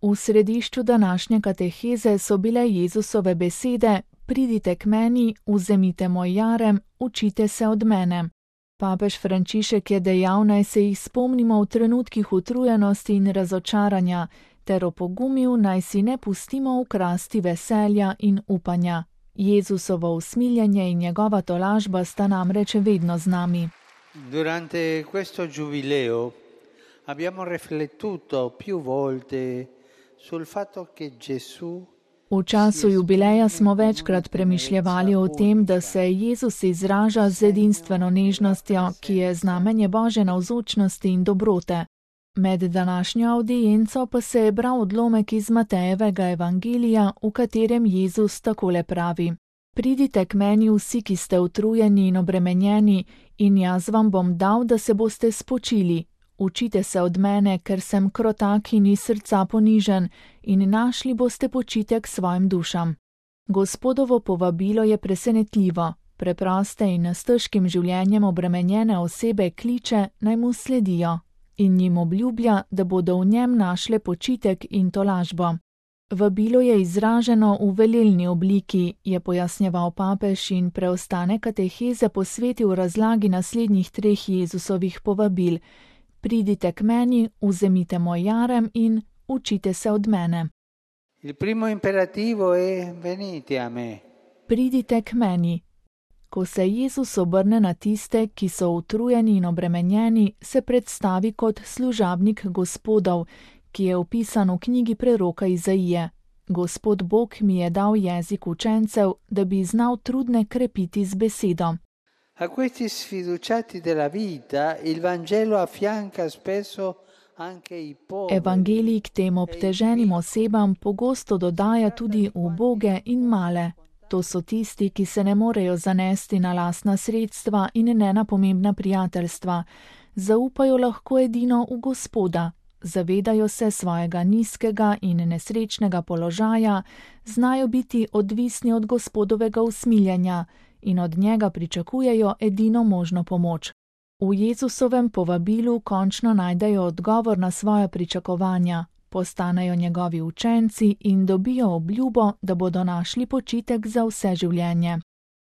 V središču današnje kateheze so bile Jezusove besede: Pridite k meni, vzemite moj jarem, učite se od mene. Papež Frančišek je dejal, naj se jih spomnimo v trenutkih utrujenosti in razočaranja, ter opogumil, naj si ne pustimo ukrasti veselja in upanja. Jezusovo usmiljenje in njegova tolažba sta namreč vedno z nami. Durante questo giubileo abbiamo riflettuto più volte sul fatto che Gesù. V času jubileja smo večkrat premišljevali o tem, da se Jezus izraža z edinstveno nežnostjo, ki je znamenje Božje navzočnosti in dobrote. Med današnjo avdienco pa se je bral odlomek iz Matejevega evangelija, v katerem Jezus takole pravi: Pridite k meni vsi, ki ste utrujeni in obremenjeni, in jaz vam bom dal, da se boste spočili. Učite se od mene, ker sem krotak in iz srca ponižen, in našli boste počitek svojim dušam. Gospodovo povabilo je presenetljivo. Preproste in s težkim življenjem obremenjene osebe kliče, naj mu sledijo, in jim obljublja, da bodo v njem našle počitek in tolažbo. Vabilo je izraženo v velelni obliki, je pojasnjeval papež in preostane kateheze posvetil razlagi naslednjih 3 Jezusovih povabil: Pridite k meni, vzemite moj jarem in učite se od mene. Il primo imperativo è venite a me. Pridite k meni. Ko se Jezus obrne na tiste, ki so utrujeni in obremenjeni, se predstavi kot služabnik Gospodov, ki je opisan v knjigi preroka Izaije. Gospod Bog mi je dal jezik učencev, da bi znal trudne krepiti z besedo. A questi sfiduciati della vita il Vangelo affianca spesso anche i poveri. Evangelij k tem obteženim osebam pogosto dodaja tudi uboge in male. To so tisti, ki se ne morejo zanesti na lastna sredstva in ne na pomembna prijateljstva. Zaupajo lahko edino v Gospoda. Zavedajo se svojega nizkega in nesrečnega položaja, znajo biti odvisni od Gospodovega usmiljenja in od njega pričakujejo edino možno pomoč. V Jezusovem povabilu končno najdejo odgovor na svoja pričakovanja, postanejo njegovi učenci in dobijo obljubo, da bodo našli počitek za vse življenje.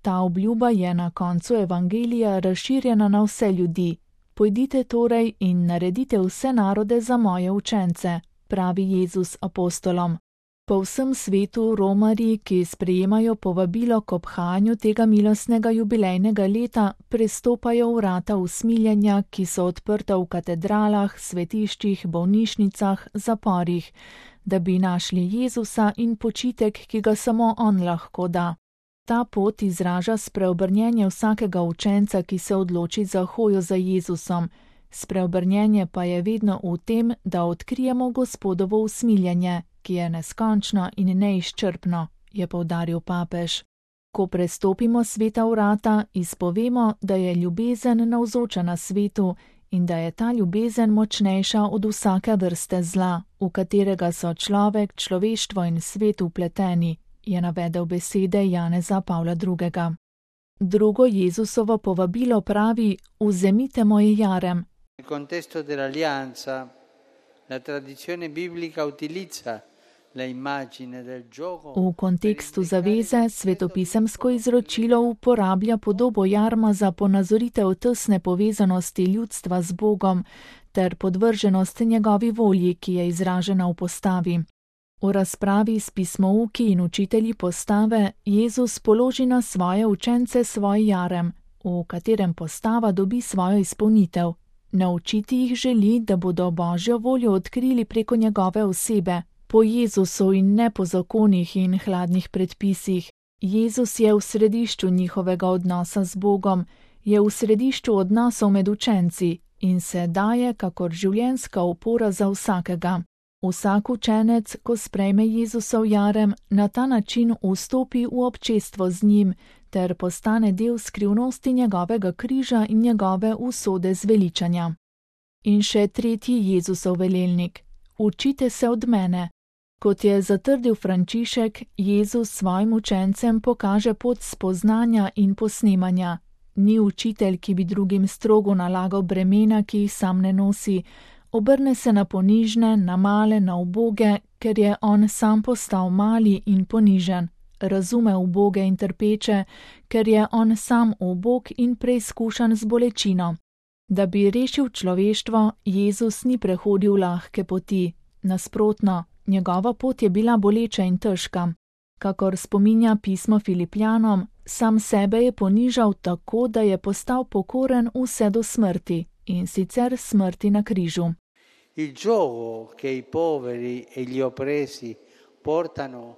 Ta obljuba je na koncu evangelija razširjena na vse ljudi. Pojdite torej in naredite vse narode za moje učence, pravi Jezus apostolom. Po vsem svetu romarji, ki sprejemajo povabilo k obhajanju tega milostnega jubilejnega leta, prestopajo vrata usmiljenja, ki so odprta v katedralah, svetiščih, bolnišnicah, zaporih, da bi našli Jezusa in počitek, ki ga samo on lahko da. Ta pot izraža spreobrnjenje vsakega učenca, ki se odloči za hojo za Jezusom. Spreobrnjenje pa je vedno v tem, da odkrijemo Gospodovo usmiljenje, ki je neskončno in neizčrpno, je poudaril papež. Ko prestopimo sveta vrata, izpovemo, da je ljubezen navzoča na svetu in da je ta ljubezen močnejša od vsake vrste zla, v katerega so človek, človeštvo in svet vpleteni, je navedel besede Janeza Pavla II. Drugo Jezusovo povabilo pravi: Vzemite moj jarem. Nel contesto dell'alleanza, la tradizione biblica utilizza la immagine del gioco. V kontekstu zaveze svetopisemsko izročilo uporablja podobo jarma za ponazoritev tesne povezanosti ljudstva z Bogom ter podvrženost njegovi volji, ki je izražena v postavi. V razpravi s pismouki in učitelji postave Jezus položi na svoje učence svoj jarem, v katerem postava dobi svojo izpolnitev. Naučiti jih želi, da bodo Božjo voljo odkrili preko njegove osebe, po Jezusu in ne po zakonih in hladnih predpisih. Jezus je v središču njihovega odnosa z Bogom, je v središču odnosov med učenci in se daje kakor življenjska opora za vsakega. Vsak učenec, ko sprejme Jezusov jarem, na ta način vstopi v občestvo z njim ter postane del skrivnosti njegovega križa in njegove usode zveličanja. In še tretji Jezusov velelnik: Učite se od mene. Kot je zatrdil Frančišek, Jezus svojim učencem pokaže pot spoznanja in posnemanja. Ni učitelj, ki bi drugim strogo nalagal bremena, ki jih sam ne nosi. Obrne se na ponižne, na male, na uboge, ker je on sam postal mali in ponižen. Razume uboge in trpeče, ker je on sam ubog in preizkušan z bolečino. Da bi rešil človeštvo, Jezus ni prehodil lahke poti. Nasprotno, njegova pot je bila boleča in težka. Kakor spominja pismo Filipljanom, sam sebe je ponižal tako, da je postal pokoren vse do smrti, in sicer smrti na križu. Il giogo che i poveri e gli oppressi portano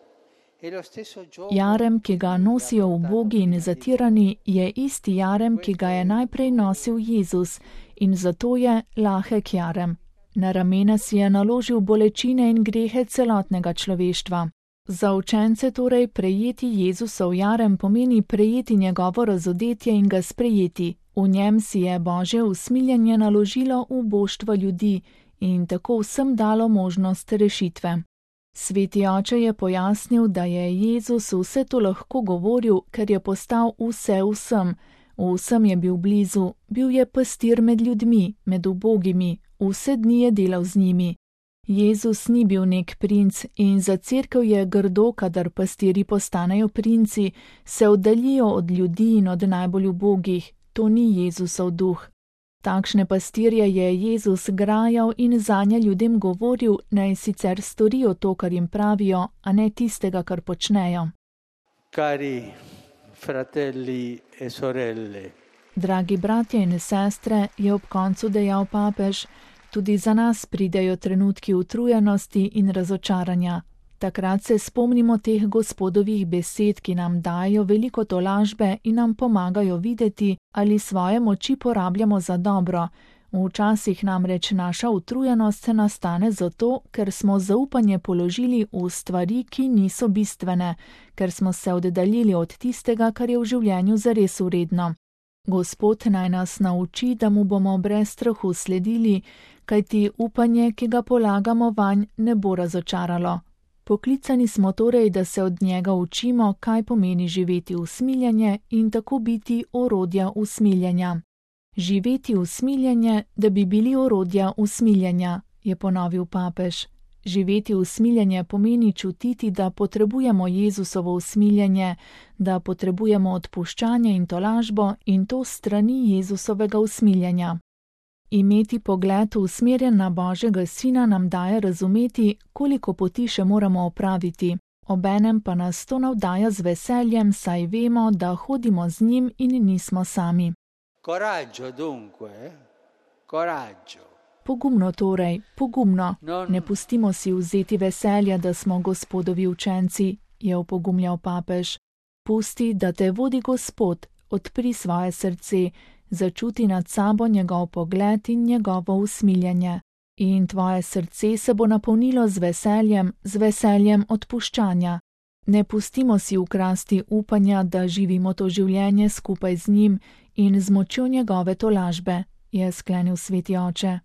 è lo stesso giogo. Jarem, ki ga nosijo ubogi in zatirani, je isti jarem, ki ga je najprej nosil Jezus, in zato je lahek jarem. Na ramena si je naložil bolečine in grehe celotnega človeštva. Za učence torej prejeti Jezusov jarem pomeni prejeti njegovo razodetje in ga sprejeti. V njem si je Božje usmiljenje naložilo v boštvo ljudi in tako vsem dalo možnost rešitve. Sveti oče je pojasnil, da je Jezus vse to lahko govoril, ker je postal vse vsem. Vsem je bil blizu, bil je pastir med ljudmi, med ubogimi, vse dni je delal z njimi. Jezus ni bil nek princ in za cerkev je grdo, kadar pastiri postanejo princi, se oddaljijo od ljudi in od najbolj ubogih. To ni Jezusov duh. Takšne pastirje je Jezus grajal in zanje ljudem govoril, naj sicer storijo to, kar jim pravijo, a ne tistega, kar počnejo. Cari fratelli e sorelle. Dragi bratje in sestre, je ob koncu dejal papež, tudi za nas pridejo trenutki utrujenosti in razočaranja. Takrat se spomnimo teh Gospodovih besed, ki nam dajo veliko tolažbe in nam pomagajo videti, ali svoje moči porabljamo za dobro. Včasih namreč naša utrujenost se nastane zato, ker smo zaupanje položili v stvari, ki niso bistvene, ker smo se oddaljili od tistega, kar je v življenju zares vredno. Gospod naj nas nauči, da mu bomo brez strahu sledili, kajti upanje, ki ga polagamo vanj, ne bo razočaralo. Poklicani smo torej, da se od njega učimo, kaj pomeni živeti usmiljenje in tako biti orodja usmiljenja. Živeti usmiljenje, da bi bili orodja usmiljenja, je ponovil papež. Živeti usmiljenje pomeni čutiti, da potrebujemo Jezusovo usmiljenje, da potrebujemo odpuščanje in tolažbo in to strani Jezusovega usmiljenja. Imeti pogled usmerjen na Božjega Sina nam daje razumeti, koliko poti še moramo opraviti. Obenem pa nas to navdaja z veseljem, saj vemo, da hodimo z njim in nismo sami. Coraggio dunque, coraggio. Pogumno torej, pogumno. Ne pustimo si vzeti veselja, da smo Gospodovi učenci, je opogumljal papež. Pusti, da te vodi Gospod, odpri svoje srce, začuti nad sabo njegov pogled in njegovo usmiljenje. In tvoje srce se bo napolnilo z veseljem odpuščanja. Ne pustimo si ukrasti upanja, da živimo to življenje skupaj z njim in z močjo njegove tolažbe, je sklenil sveti oče.